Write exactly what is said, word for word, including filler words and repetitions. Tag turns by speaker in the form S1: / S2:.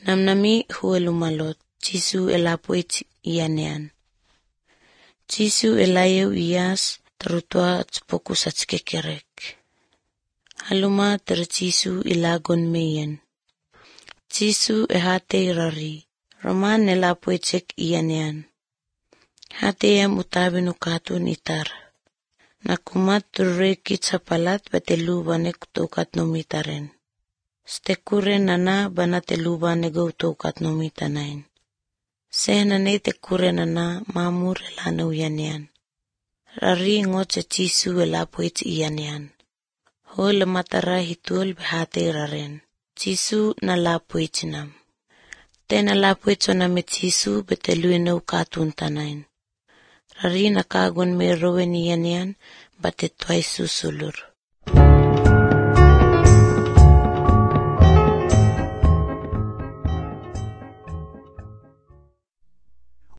S1: Namnami huwe lumalot, Jisu elapuit ianean. Jisu elayew iyas terutua tsepokus atskekerek. Haluma ter Jisu ilagon meyen. Jisu ehate irari, roman elapuitek ianean. Hateyam utabinu katun itar. Nakumat turreki tsapalat batelubane kutokat nomitaren. Stekure nana banatelubane gautokat nomitanain. Sehnane tekure nana mamur elana uyanean. Rari ngoce Jisu elapuit ianean. Hol matara hitul behate raren. Jisu nalapuitinam. Tena lapuitoname Jisu beteluenau katun tanain. Rari nakagon merowen ianean batetwai susulur.